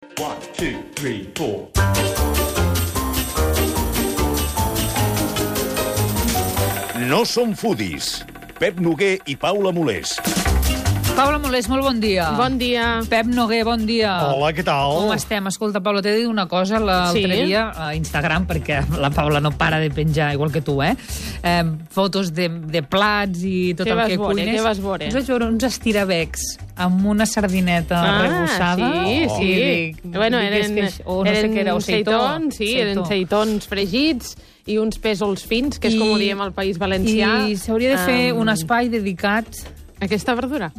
1, 2, 3, 4. No som foodies. Pep Noguer i Paula Molés. Paula Molés, molt bon dia. Bon dia. Pep Noguer, bon dia. Hola, què tal? Com estem? Escolta, Paula, t'he de dir una cosa l'altre dia a Instagram, perquè la Paula no para de penjar, igual que tu, fotos de plats i tot el que cuines. Què vas veure? Us vaig veure uns estirabecs amb una sardineta rebussada. Sí. Bueno, eren seitons, eren seitons fregits i uns pèsols fins, que és com ho diem al País Valencià. I s'hauria de fer un espai dedicat a aquesta verdura.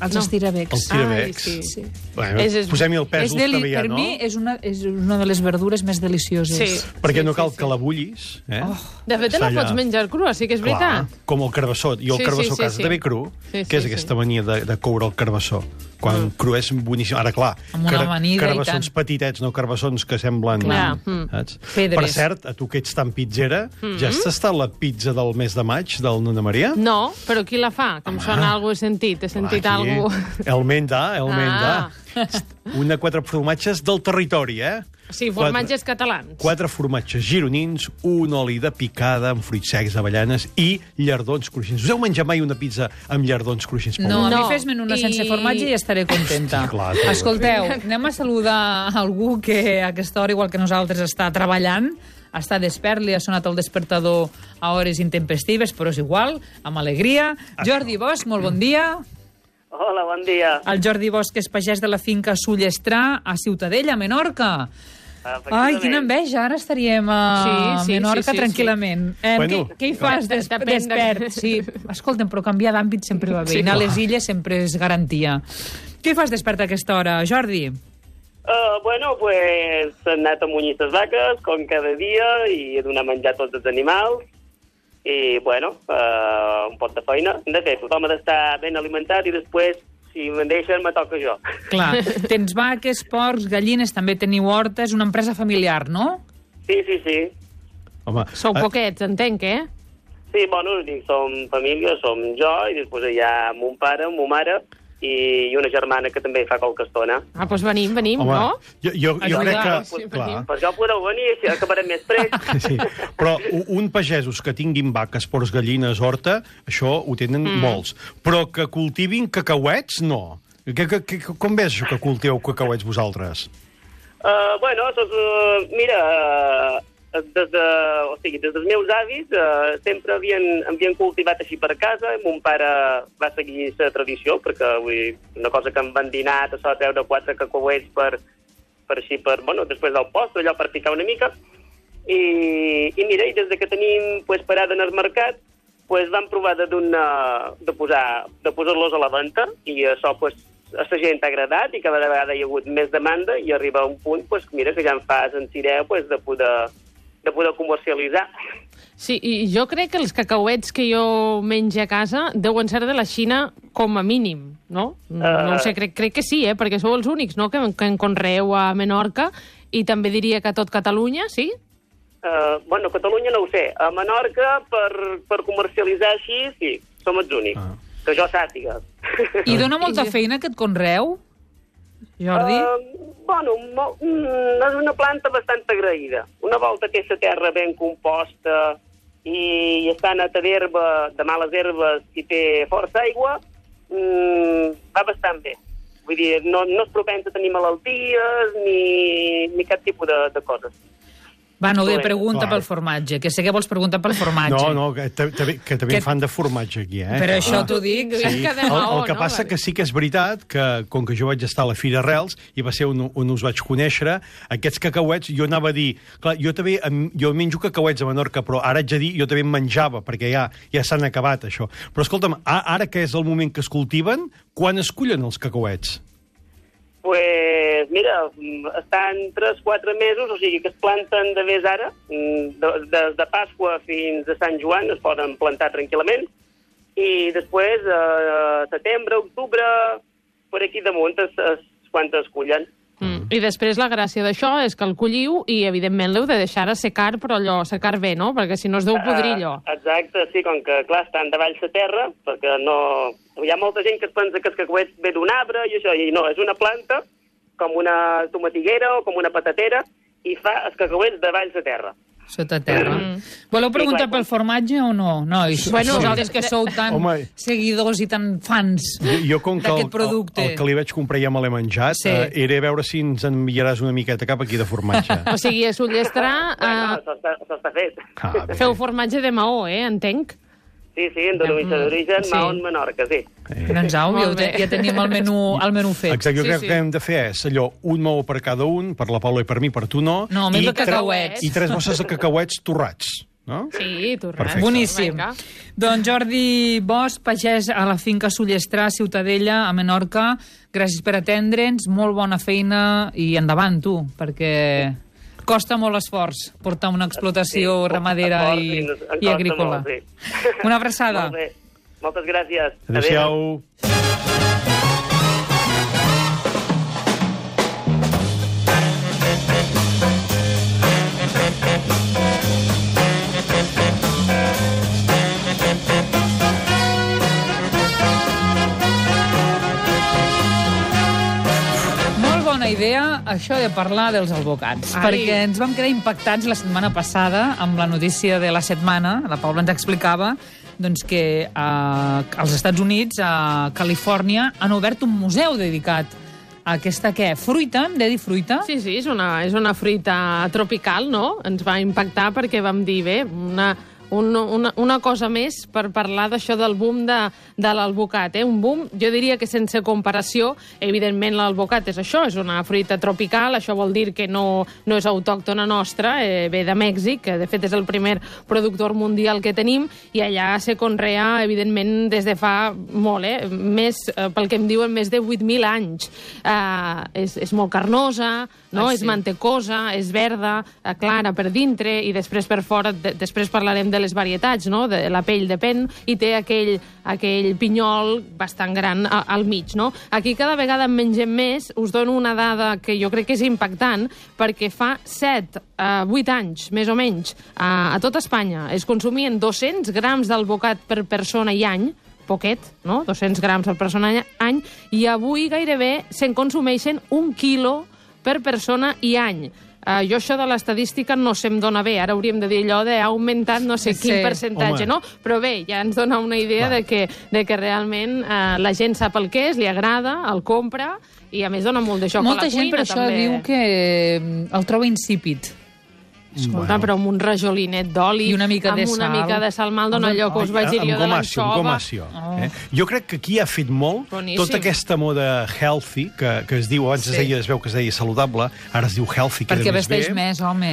als estirabecs. Els tirabecs. Sí. Bueno, posem-hi el pèsol també ja, no? Per mi és una de les verdures més delicioses. Sí. Perquè no cal que la bullis. De fet, la pots menjar crua, sí que és veritat. Clar, com el carbassó. Jo el carbassó a casa també cru, que és aquesta mania de coure el carbassó. Quan cru és boníssim. Ara, clar, amb una amanida carbassons petitets, no carbassons que semblen... Saps? Per cert, a tu que ets tan pizzera, ja has tastat la pizza del mes de maig del Nona Maria? No, però qui la fa? Que em sona alguna cosa, he sentit. He sentit alguna cosa. El menda. Una 4 formatges del territori, Sí, formatges catalans. 4 formatges gironins, un oli de picada amb fruits secs, avellanes i llardons cruixents. Us heu menjat mai una pizza amb llardons cruixents? No, a mi fes-me'n una sense formatge i estaré contenta. Clar, escolteu, anem a saludar algú que a aquesta hora, igual que nosaltres, està treballant, està despert, li ha sonat el despertador a hores intempestives, però és igual, amb alegria. Jordi Bosch, molt bon dia. Hola, bon dia. El Jordi Bosch és pagès de la finca Sullestrà, a Ciutadella, a Menorca. Ai, quina enveja, ara estaríem a Menorca tranquil·lament. Què hi fas despert? Sí, escolta'm, però canviar d'àmbit sempre va bé. Anar a les illes sempre és garantia. Què hi fas despert a aquesta hora, Jordi? Bueno, pues he anat a munyir les vaques, com cada dia, i he donat menjar a tots els animals. I, bueno, un pot de feina. De fet, tothom ha d'estar ben alimentat i després, si me'n deixen, me toca jo. Clar, tens vaques, porcs, gallines, també teniu horta, és una empresa familiar, no? Sí. Home, Sou poquets, entenc, Sí, bueno, som família, som jo, i després hi ha mon pare, mon mare, i una germana que també fa qualque estona. Doncs venim, home, no? Jo crec que... Per això podeu venir, així acabarem més prest. Sí, però un pagesos que tinguin vaques, porcs, gallines, horta, això ho tenen molts. Però que cultivin cacauets, no. Com ves això que cultiveu cacauets vosaltres? Bueno, mira, des dels meus avis sempre havien cultivat així per casa. Mon pare va seguir la tradició, perquè una cosa que em van dinar a treure 4 cacauets per després del postre, allò per picar una mica. I mira, i des que tenim parada en el mercat, vam provar de posar-los a la venda, i això a la gent ha agradat, i cada vegada hi ha hagut més demanda, i arriba a un punt mira, que ja em fa sentir de poder comercialitzar. Sí, i jo crec que els cacauets que jo menjo a casa deuen ser de la Xina com a mínim, no? No ho sé, crec que sí, perquè sou els únics, no?, que en conreeu a Menorca, i també diria que a tot Catalunya, sí? Bueno, Catalunya no ho sé. A Menorca, per comercialitzar així, sí, som els únics. Que jo sàpiga. I dona molta feina aquest conreu, Jordi? Bueno, és una planta bastant agraïda. Una volta que la terra ben composta i està neta d'herba, de males herbes, i té força aigua, va bastant bé. Vull dir, no és propens a tenir malalties ni cap tipus de coses. Va, no, pregunta pel formatge, que sé que vols preguntar pel formatge. No, que també fan de formatge aquí, Per això t'ho dic. Sí. El que passa que sí que és veritat que, com que jo vaig estar a la Fira Arrels, i va ser on us vaig conèixer, aquests cacauets, jo anava a dir... Clar, jo menjo cacauets a Menorca, però ara haig de dir, jo també en menjava, perquè ja s'han acabat, això. Però escolta'm, ara que és el moment que es cultiven, quan es cullen els cacauets? Pues mira, estan 3-4 mesos, o sigui que es planten de més ara, des de Pasqua fins a Sant Joan es poden plantar tranquil·lament, i després, setembre, octubre, per aquí damunt quan es cullen. I després la gràcia d'això és que el colliu i, evidentment, l'heu de deixar assecar, però allò, assecar bé, no? Perquè si no es deu podrir allò. Exacte, sí, com que, clar, estan davall la terra, perquè no... Hi ha molta gent que es pensa que els cacauets ve d'un arbre i això, i no, és una planta com una tomatiguera o com una patatera i fa els cacauets de valls de terra. Sota terra. Voleu preguntar pel formatge o no? No, bueno, vosaltres que sou tan seguidors i tan fans d'aquest producte. El que li vaig comprar ja me l'he menjat, era veure si ens enviaràs una miqueta cap aquí de formatge. O sigui, a Ullestrar... Això està fet. Feu formatge de Maó, entenc? Sí, en denominació d'origen, Maó en Menorca, sí. Doncs au, ja tenim el menú fet. Exacte, jo crec que hem de fer és allò, un maó per cada un, per la Paula i per mi, per tu no. No, més de cacauets. I 3 bosses de cacauets torrats. No? Sí, torrats. Boníssim. Doncs Jordi Bosch, pagès a la finca Ullestrar, Ciutadella, a Menorca, gràcies per atendre'ns, molt bona feina i endavant, tu, perquè costa molt esforç portar una explotació ramadera i agrícola. Una abraçada. Molt bé. Moltes gràcies. Adéu-siau. Idea, això de parlar dels albocats, perquè ens vam quedar impactats la setmana passada amb la notícia de la setmana. La Paula ens explicava doncs, que als Estats Units, a Califòrnia, han obert un museu dedicat a aquesta, fruita? Hem de dir fruita? Sí, és una fruita tropical, no? Ens va impactar perquè vam dir, bé, una cosa més per parlar d'això del boom de l'alvocat. Un boom, jo diria que sense comparació. Evidentment, l'alvocat és això, és una fruita tropical, això vol dir que no és autòctona nostra, ve de Mèxic, que de fet és el primer productor mundial que tenim, i allà se conrea, evidentment, des de fa molt, pel que em diuen, més de 8.000 anys. És molt carnosa, no? És mantecosa, és verda, clara per dintre, i després per fora, després parlarem de les varietats, no? De la pell depèn, i té aquell pinyol bastant gran al mig, no? Aquí cada vegada en mengem més. Us dono una dada que jo crec que és impactant, perquè fa 7-8 anys, més o menys, a tot Espanya es consumien 200 grams d'alvocat per persona i any, poquet, no? 200 grams per persona i any, i avui gairebé se'n consumeixen 1 quilo per persona i any. Jo això de l'estadística no se'm dona bé. Ara hauríem de dir allò d'ha augmentat no sé quin percentatge, no? Però bé, ja ens dona una idea de que realment la gent sap el que és, li agrada, el compra, i a més dona molt de joc a la cuina. Molta gent per això diu que el troba insípid. Escolta, però amb un rajolinet d'oli i una mica de sal. Amb una mica de sal mal dona allò que us vaig dir jo de l'anxova. Amb gomació. Jo crec que aquí ha fet molt tota aquesta moda healthy, que es diu, abans es veu que es deia saludable, ara es diu healthy, que perquè vesteix més, home.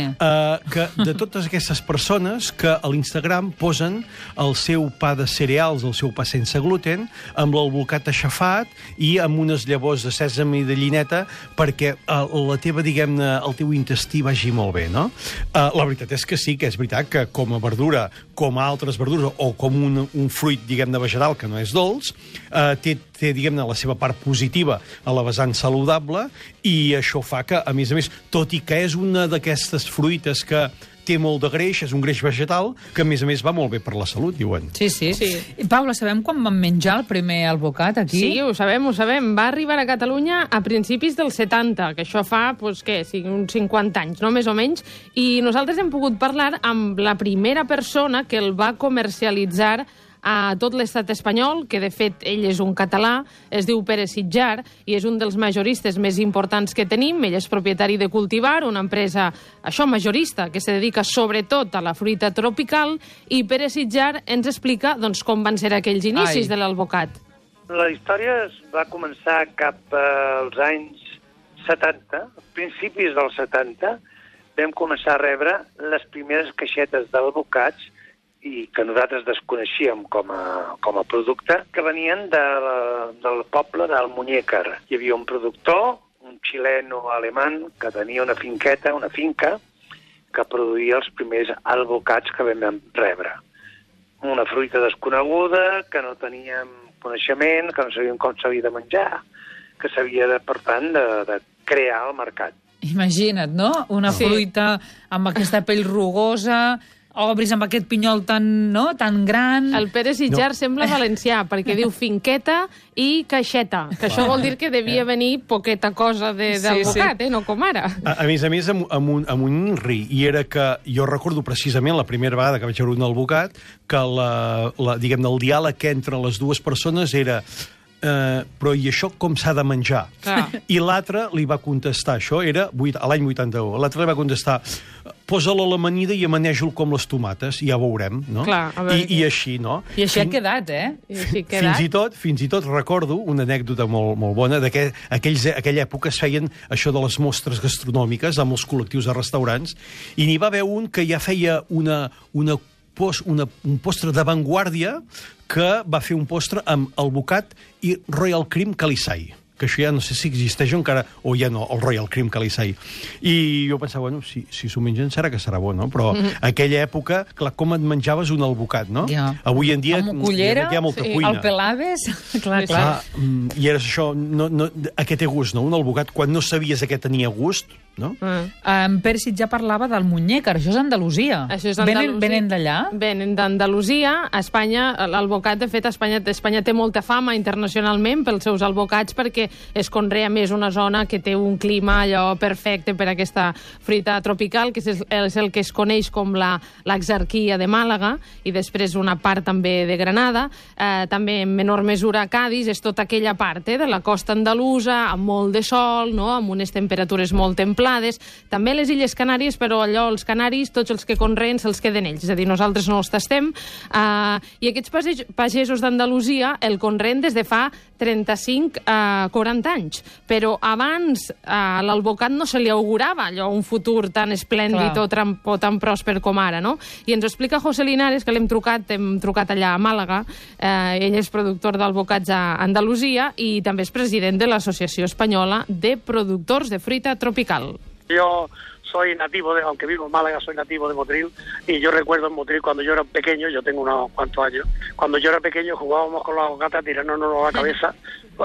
Que de totes aquestes persones que a l'Instagram posen el seu pa de cereals, el seu pa sense gluten, amb l'alvocat aixafat i amb unes llavors de sèsam i de llineta perquè la teva, diguem-ne, el teu intestí vagi molt bé, no? La veritat és que sí, que és veritat que com a verdura, com a altres verdures, o com un fruit, diguem-ne, vegetal, que no és dolç, té, diguem-ne, la seva part positiva a la vessant saludable, i això fa que, a més, tot i que és una d'aquestes fruites que té molt de greix, és un greix vegetal, que a més va molt bé per la salut, diuen. Sí. Paula, sabem quan vam menjar el primer alvocat aquí? Sí, ho sabem. Va arribar a Catalunya a principis dels 70, que això fa, uns 50 anys, no? Més o menys, i nosaltres hem pogut parlar amb la primera persona que el va comercialitzar a tot l'estat espanyol, que de fet ell és un català, es diu Pere Sitjar, i és un dels majoristes més importants que tenim. Ell és propietari de Cultivar, una empresa, majorista, que se dedica sobretot a la fruita tropical, i Pere Sitjar ens explica com van ser aquells inicis de l'alvocat. La història es va començar cap als anys 70, principis dels 70, vam començar a rebre les primeres caixetes d'alvocats i que nosaltres desconeixíem com a producte, que venien del poble d'Almuñécar. Hi havia un productor, un xileno alemany, que tenia una finca, que produïa els primers albocats que vam rebre. Una fruita desconeguda, que no teníem coneixement, que no sabíem com s'havia de menjar, que s'havia, per tant, de crear al mercat. Imagina't, no? Una fruita amb aquesta pell rugosa, obris amb aquest pinyol tan gran... El Pere Sitjar sembla valencià, perquè diu finqueta i caixeta, que això vol dir que devia venir poqueta cosa del bocat, no com ara. A més, amb un ri, i era que jo recordo precisament la primera vegada que vaig veure un albocat, que diguem-ne, el diàleg entre les dues persones era però i això com s'ha de menjar? I l'altre li va contestar, això era a l'any 81, l'altre li va contestar posa-la a l'amanida i amaneix-lo com les tomates, i ja veurem, no? I així, no? I així ha quedat, Fins i tot recordo una anècdota molt bona, aquella època es feien això de les mostres gastronòmiques amb els col·lectius de restaurants, i n'hi va haver un que ja feia un postre d'avantguàrdia que va fer un postre amb albocat i Royal Cream Calisai, que això ja no sé si existeix encara, o ja no, el Royal Cream Calisai. I jo pensava, bueno, si s'ho mengen serà que serà bo, no? Però aquella època, clar, com et menjaves un albocat, no? Avui en dia hi ha molta cuina. El pelaves, clar. I era això, a què té gust, no? Un albocat, quan no sabies a què tenia gust, no? En Pere Sitjar parlava del muñécar, això és Andalusia. Venen d'allà? Venen d'Andalusia. A Espanya, l'albocat, de fet, Espanya té molta fama internacionalment pels seus albocats, perquè es conrea més una zona que té un clima allò perfecte per a aquesta fruita tropical, que és el que es coneix com l'exarquia de Màlaga, i després una part també de Granada, també en menor mesura a Cádiz, és tota aquella part de la costa andalusa, amb molt de sol, amb unes temperatures molt templades. També les Illes Canàries, però allò, els canaris, tots els que conreen se'ls queden ells, és a dir, nosaltres no els tastem, i aquests pagesos d'Andalusia el conreen des de fa 35 a 40 anys, però abans l'albocat no se li augurava allò, un futur tan esplèndid o tan pròsper com ara, no? I ens ho explica José Linares, que hem trucat allà a Màlaga, ell és productor d'albocats a Andalusia i també és president de l'Associació Espanyola de Productors de Fruita Tropical. Yo soy nativo aunque vivo en Málaga, soy nativo de Motril, y yo recuerdo en Motril cuando yo era pequeño, yo tengo unos cuantos años, cuando yo era pequeño jugábamos con los aguacates a tirarnos a la cabeza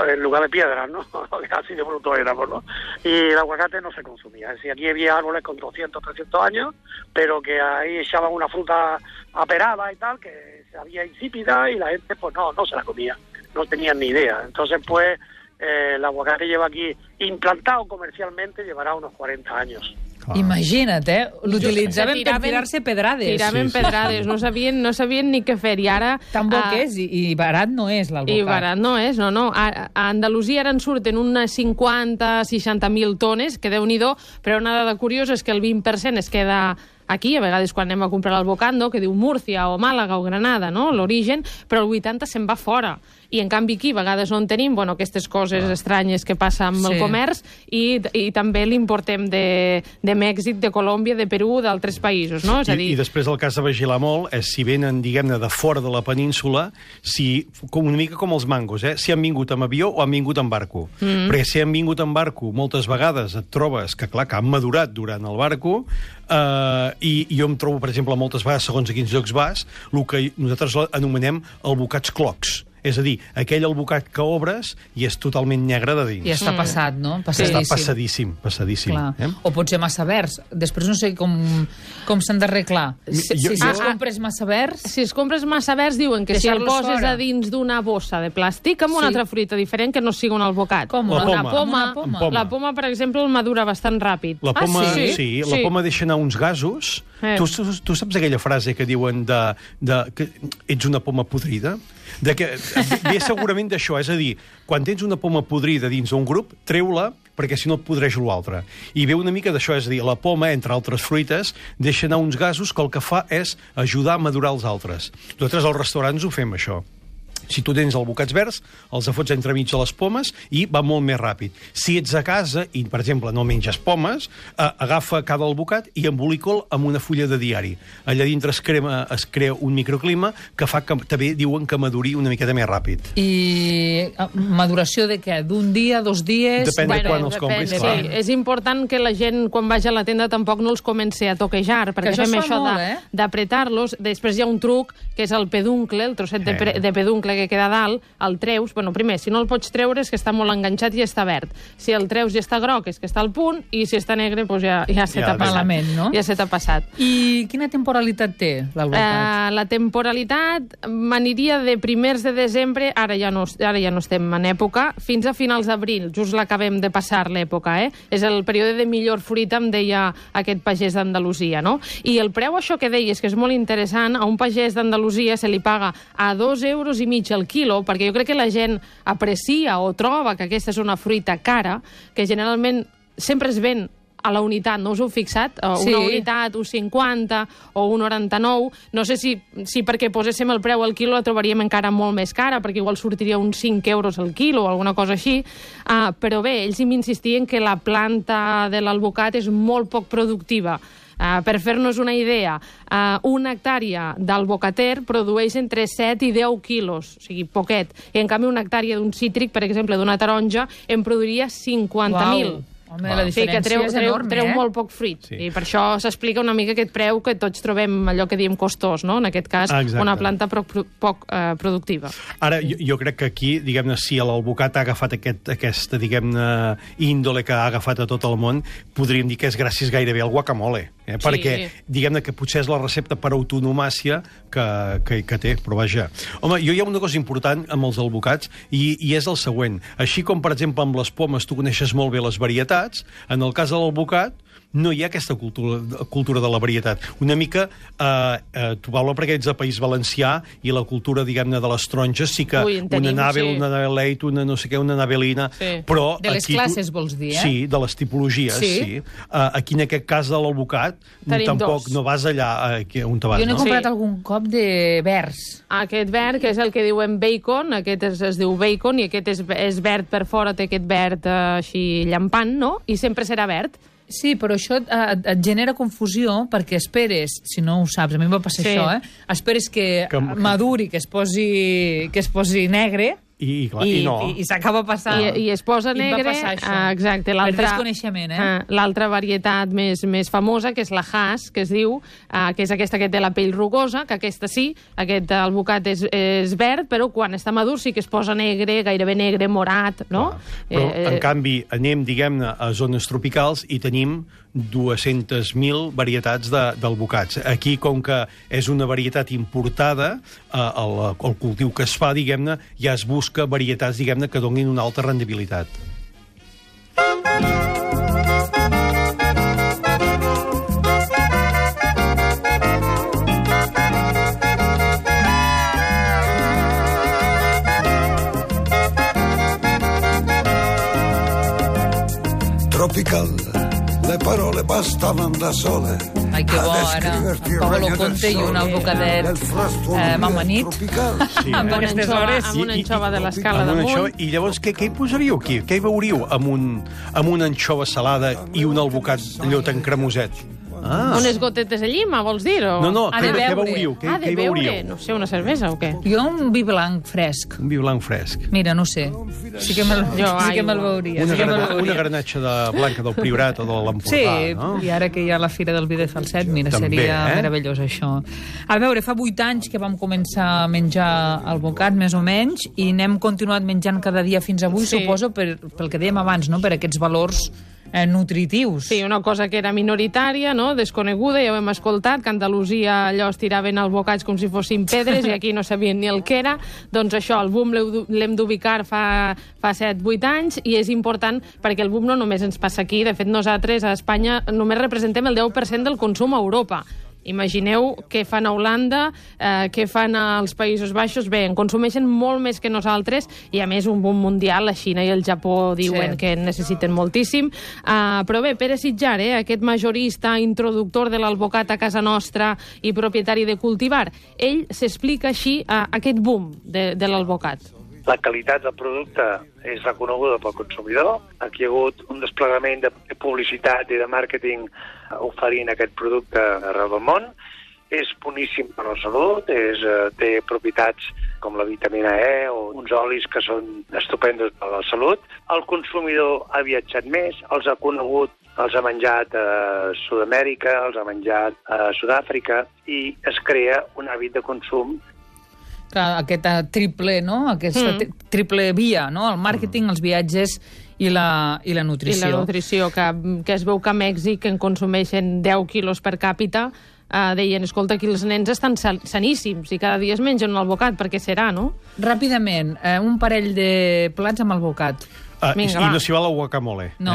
en lugar de piedras, ¿no? Así de bruto éramos, ¿no? Y el aguacate no se consumía, es decir, aquí había árboles con 200, 300 años, pero que ahí echaban una fruta aperada y tal, que se había insípida y la gente pues no se la comía, no tenían ni idea. Entonces pues el aguacate lleva aquí implantado comercialmente, llevará unos 40 años. Imagina't, l'utilitzaven per tirar-se pedrades. Tiraven pedrades, no sabien ni què fer. I ara... Tan bo que és, i barat no és l'albocat. I barat no és, no. A Andalusia ara en surten unes 50-60.000 tones, que Déu-n'hi-do, però una dada curiosa és que el 20% es queda aquí, a vegades quan anem a comprar l'albocat, que diu Múrcia o Màlaga o Granada, l'origen, però el 80% se'n va fora. I en canvi aquí a vegades no en tenim aquestes coses estranyes que passen amb el comerç, i també l'importem de Mèxic, de Colòmbia, de Perú, d'altres països, no? És a dir... I després el cas de vigilar molt és si venen, diguem-ne, de fora de la península, una mica com els mangos, si han vingut amb avió o han vingut amb barco. Perquè si han vingut amb barco, moltes vegades et trobes que, clar, que han madurat durant el barco, i jo em trobo, per exemple, moltes vegades, segons a quins llocs vas, el que nosaltres anomenem albocats clocs. És a dir, aquell albocat que obres i és totalment negre de dins. I està passat, no? Està passadíssim. O pot ser massa verds. Després no sé com s'han d'arreglar. Si es compres massa verds... Si es compres massa verds, diuen que si el poses a dins d'una bossa de plàstic amb una altra fruita diferent que no sigui un albocat. Com? Una poma. La poma, per exemple, el madura bastant ràpid. La poma, la poma deixa anar uns gasos. Tu saps aquella frase que diuen que ets una poma podrida? Ve segurament d'això, és a dir, quan tens una poma podrida dins d'un grup, treu-la, perquè si no et podreix l'altre. I ve una mica d'això, és a dir, la poma, entre altres fruites, deixa anar uns gasos que el que fa és ajudar a madurar els altres. Nosaltres als restaurants ho fem, això. Si tu tens albocats verds, els fots entremig de les pomes i va molt més ràpid. Si ets a casa i, per exemple, no menges pomes, agafa cada albocat i embolica'l amb una fulla de diari. Allà dintre es crea un microclima que fa que també diuen que maduri una miqueta més ràpid. I maduració de què? D'un dia, 2 dies? Depèn de quan els compris, clar. Sí, és important que la gent, quan vagi a la tenda, tampoc no els comenci a toquejar, perquè fem això d'apretar-los. Després hi ha un truc, que és el peduncle, el trosset de peduncle, negre que queda a dalt, el treus, bueno, primer, si no el pots treure és que està molt enganxat i està verd. Si el treus i està groc és que està al punt, i si està negre, doncs ja se t'ha passat. Malament, no? Ja se t'ha passat. I quina temporalitat té l'alvocat? La temporalitat m'aniria de primers de desembre, ara ja no estem en època, fins a finals d'abril, just l'acabem de passar l'època, És el període de millor fruita, em deia aquest pagès d'Andalusia, no? I el preu, això que deies, que és molt interessant, a un pagès d'Andalusia se li paga a 2,5 euros el quilo, perquè jo crec que la gent aprecia o troba que aquesta és una fruita cara, que generalment sempre es ven a la unitat, no us heu fixat? Una unitat, 1,50 o 1,99. No sé si perquè poséssim el preu al quilo la trobaríem encara molt més cara, perquè igual sortiria uns 5 euros al quilo o alguna cosa així. Però bé, ells m'insistien que la planta de l'alvocat és molt poc productiva. Per fer-nos una idea, una hectàrea d'alvocater produeix entre 7 i 10 quilos, o sigui, poquet. I en canvi una hectàrea d'un cítric, per exemple, d'una taronja, en produiria 50.000. Home, la diferència és enorme, treu molt poc fruit. Sí. I per això s'explica una mica aquest preu que tots trobem allò que diem costós, no? En aquest cas, una planta poc productiva. Ara, jo crec que aquí, diguem-ne, si l'alvocat ha agafat aquesta, diguem-ne, índole que ha agafat a tot el món, podríem dir que és gràcies gairebé al guacamole. Perquè, diguem-ne, que potser és la recepta per autonomàcia que té, però vaja. Home, hi ha una cosa important amb els alvocats i és el següent. Així com, per exemple, amb les pomes tu coneixes molt bé les varietats, en el cas de l'alvocat no hi ha aquesta cultura de la varietat. Una mica, tu parla perquè ets de País Valencià i la cultura, diguem-ne, de les taronges sí que una Nabel, una Nabeleit, una no sé què, una Nabelina, però... De les classes, vols dir, Sí, de les tipologies, sí. Aquí, en aquest cas de l'alvocat, tampoc no vas allà on te vas, no? Jo n'he comprat algun cop de verds. Aquest verd, que és el que diuen bacon, aquest es diu bacon, i aquest és verd per fora, té aquest verd així llampant, no? I sempre serà verd. Sí, però això et genera confusió perquè esperes, si no ho saps, a mi em va passar això, esperes que maduri, que es posi negre, i s'acaba passant. I es posa negre. Exacte. Per desconeixement, l'altra varietat més famosa, que és la Hass, que es diu, que és aquesta que té la pell rugosa, que aquesta sí, aquest alvocat és verd, però quan està madur sí que es posa negre, gairebé negre, morat, no? Però, en canvi, anem, diguem-ne, a zones tropicals i tenim 200.000 varietats d'alvocats. Aquí, com que és una varietat importada, el cultiu que es fa, diguem-ne, ja es busca varietats, diguem-ne, que donin una alta rendibilitat. Tropical. Le parole bastavano da sole. Ai, que bo, ara. Paolo Conte i un alvocadet amanit. Amb aquestes hores. Amb una anxova de l'escala damunt. I llavors, què hi posaríeu aquí? Què hi veuríeu amb una anxova salada i un alvocat allò tan cremoset? Unes gotetes de llima, vols dir? No, què veuríeu? De beure? No sé, una cervesa o què? Jo un vi blanc fresc. Un vi blanc fresc. Mira, no sé. Sí que me'l veuria. Una granatxa blanca del Priorat o de l'Empordà, no? Sí, i ara que hi ha la Fira del Vi de Falset, mira, seria meravellós això. A veure, fa 8 anys que vam començar a menjar alvocat, més o menys, i n'hem continuat menjant cada dia fins avui, suposo, pel que dèiem abans, no? Per aquests valors nutritius. Sí, una cosa que era minoritària, no? Desconeguda, ja ho hem escoltat, que a Andalusia allò es tiraven albocats com si fossin pedres i aquí no sabien ni el que era. Doncs això, el boom l'hem d'ubicar fa 7-8 anys i és important perquè el boom no només ens passa aquí, de fet nosaltres a Espanya només representem el 10% del consum a Europa. Imagineu què fan a Holanda, què fan als Països Baixos. Bé, en consumeixen molt més que nosaltres i, a més, un boom mundial. La Xina i el Japó diuen que en necessiten moltíssim. Però bé, Pere Sitjar, aquest majorista, introductor de l'alvocat a casa nostra i propietari de Cultivar, ell s'explica així aquest boom de l'alvocat. La qualitat del producte és reconeguda pel consumidor. Aquí hi ha hagut un desplegament de publicitat i de màrqueting oferint aquest producte arreu del món. És boníssim per la salut, té propietats com la vitamina E o uns olis que són estupendos per la salut. El consumidor ha viatjat més, els ha conegut, els ha menjat a Sud-amèrica, els ha menjat a Sud-àfrica i es crea un hàbit de consum. aquest triple, no? Aquesta triple via, no? El màrqueting, els viatges i la nutrició. I la nutrició, que es veu que a Mèxic en consumeixen 10 quilos per càpita, deien, escolta, aquí els nens estan saníssims i cada dia es mengen un albocat, perquè serà, no? Ràpidament, un parell de plats amb albocat. Vinga, i no s'hi val el guacamole. No.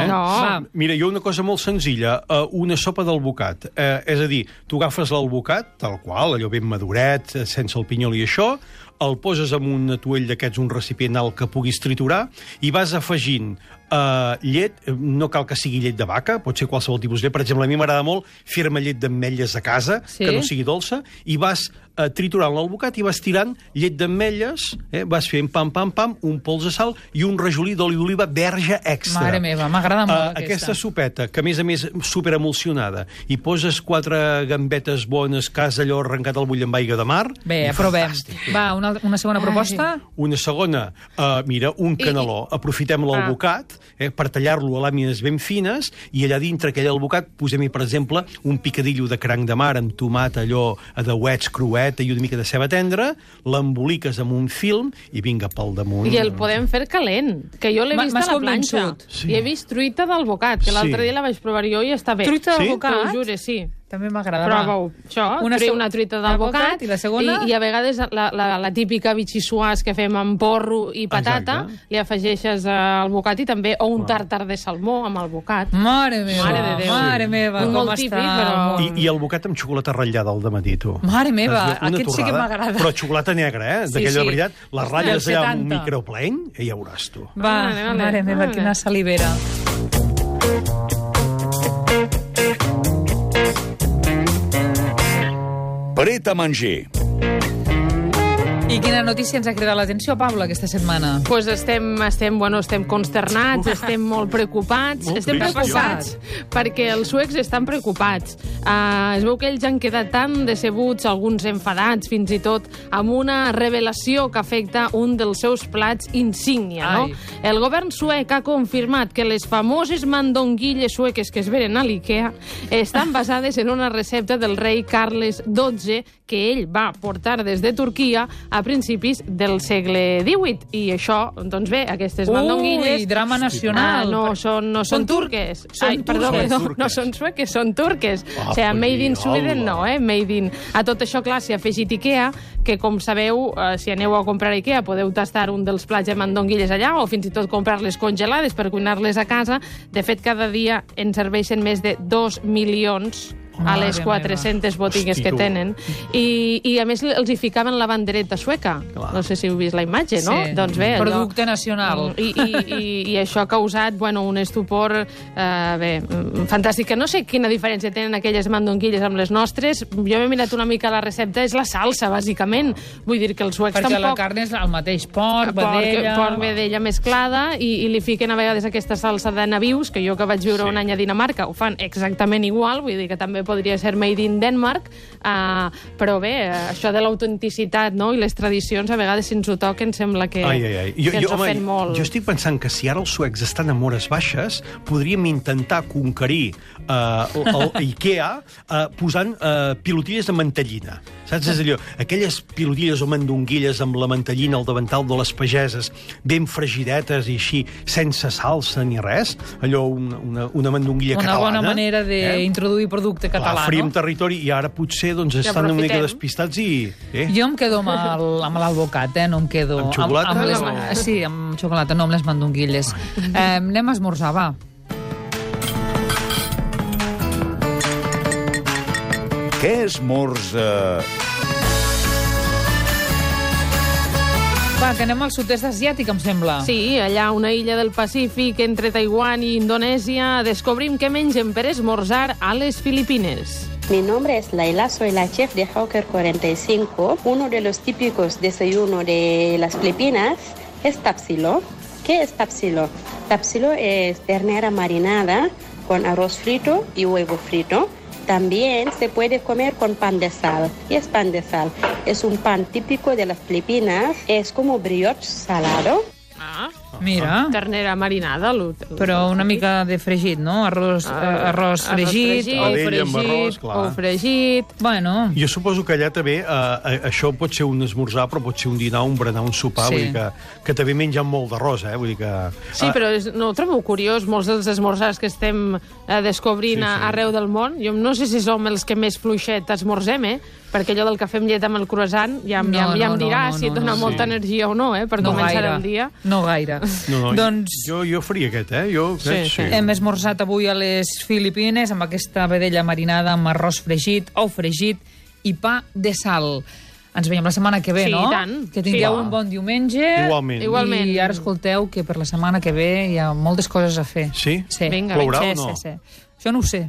Mira, jo una cosa molt senzilla, una sopa d'albocat. És a dir, tu agafes l'albocat, tal qual, allò ben maduret, sense el pinyol i això, el poses en un atuell d'aquests, un recipient alt que puguis triturar, i vas afegint llet, no cal que sigui llet de vaca, pot ser qualsevol tipus de llet. Per exemple, a mi m'agrada molt fer-me llet d'ametlles a casa, que no sigui dolça, i vas triturant l'albocat i vas tirant llet d'ametlles, vas fent pam, pam, pam, un pols de sal i un rajolí d'oli d'oliva verge extra. Mare meva, m'agrada molt aquesta sopeta, que a més superemulsionada, i poses 4 gambetes bones, que has allò arrencat al bull amb aigua de mar. Bé, aprovem. Va, una segona proposta? Una segona, mira, un caneló. Aprofitem l'albocat per tallar-lo a làmines ben fines, i allà dintre aquell albocat posem-hi, per exemple, un picadillo de cranc de mar amb tomat, allò de uets, crueta i una mica de ceba tendra, l'emboliques amb un film i vinga pel damunt. I el podem fer calent, que jo l'he vist a la planxa. I he vist truita d'albocat, que l'altre dia la vaig provar jo i està bé. Truita d'albocat? T'ho jure, sí. També m'agrada. Prova-ho. Això, una truita d'albocat. I la segona? I a vegades la típica bitxissuàs que fem amb porro i patata, li afegeixes albocat i també, o un tartar de salmó amb albocat. Mare meva, Mare de Déu. Mare meva, com molt està. Típic, però... I albocat amb xocolata ratllada al dematí, tu. Mare meva, aquest sí que m'agrada. Però xocolata negra, d'aquella de veritat, les ratlles allà amb un micropleny, ja ho veuràs, tu. Va, mare meva, quina salivera. Paret a manger. I quina notícia ens ha cridat l'atenció, Paula, aquesta setmana? Pues estem consternats, estem molt preocupats. Estem preocupats perquè els suecs estan preocupats. Es veu que ells han quedat tan decebuts, alguns enfadats, fins i tot, amb una revelació que afecta un dels seus plats insígnia, no? El govern suec ha confirmat que les famoses mandonguilles sueques que es venen a l'IKEA estan basades en una recepta del rei Carles XII que ell va portar des de Turquia a principis del segle XVIII. I això, doncs bé, aquestes mandonguilles... Ui, drama nacional. No són turques. Perdó, no són sueques, són turques. O sigui, made in Sweden no, made in... A tot això, clar, s'hi ha afegit IKEA, que, com sabeu, si aneu a comprar a IKEA, podeu tastar un dels plats de mandonguilles allà, o fins i tot comprar-les congelades per cuinar-les a casa. De fet, cada dia en serveixen més de 2 milions a les 400 botigues que tenen. I a més els hi ficaven la bandereta sueca. No sé si heu vist la imatge, no? Sí. Doncs bé, producte nacional. I això ha causat, un estupor fantàstic. Que no sé quina diferència tenen aquelles mandonguilles amb les nostres. Jo m'he mirat una mica la recepta, és la salsa, bàsicament. Vull dir que els suecs tampoc... Perquè la carn és el mateix porc, vedella... Porc, vedella mesclada, i li fiquen a vegades aquesta salsa de nabius, que jo que vaig viure un any a Dinamarca ho fan exactament igual, vull dir que també podria ser made in Denmark, però bé, això de l'autenticitat, no?, i les tradicions a vegades si ens ho toquen sembla que ens ofèn molt. Jo estic pensant que si ara els suecs estan en hores baixes, podríem intentar conquerir l'IKEA posant pilotilles de mantellina. Saps? És allò, aquelles pilotilles o mandonguilles amb la mantellina al davantal de les pageses, ben fregidetes i així, sense salsa ni res, allò, una mandonguilla catalana. Una bona manera d'introduir producte català, Fríem territori, i ara potser estan una mica despistats i... Jo em quedo amb l'albocat, no em quedo... Amb xocolata? Sí, amb xocolata, no amb les mandonguilles. Anem a esmorzar, va. Què esmorza? Va, que anem al sud-est asiàtic, em sembla. Sí, allà una illa del Pacífic entre Taiwán i Indonèsia descobrim què mengen per esmorzar a les Filipines. Mi nombre es Laila, soy la chef de Hawker 45. Uno de los típicos desayunos de las Filipinas es tapsilo. ¿Qué es tapsilo? Tapsilo es ternera marinada con arroz frito y huevo frito. También se puede comer con pan de sal. ¿Qué es pan de sal? Es un pan típico de las Filipinas. Es como brioche salado. Mira. Ternera marinada. Però una mica de fregit, no? Arròs fregit, ou fregit... Bueno... Jo suposo que allà també això pot ser un esmorzar, però pot ser un dinar, un berenar, un sopar, vull dir que també mengen molt d'arròs, vull dir que... Sí, però no ho trobo curiós, molts dels esmorzars que estem descobrint arreu del món. Jo no sé si som els que més fluixet esmorzem, perquè allò del cafè amb llet amb el croissant ja em dirà si et dona molta energia o no, per començar el dia. No gaire. Doncs... Jo faria aquest, Hem esmorzat avui a les Filipines amb aquesta vedella marinada amb arròs fregit, ou fregit i pa de sal. Ens veiem la setmana que ve, no? Sí, i tant. Que tingueu un bon diumenge. Igualment. I ara escolteu que per la setmana que ve hi ha moltes coses a fer. Sí? Vinga, plourà o no? Sí. Això no ho sé.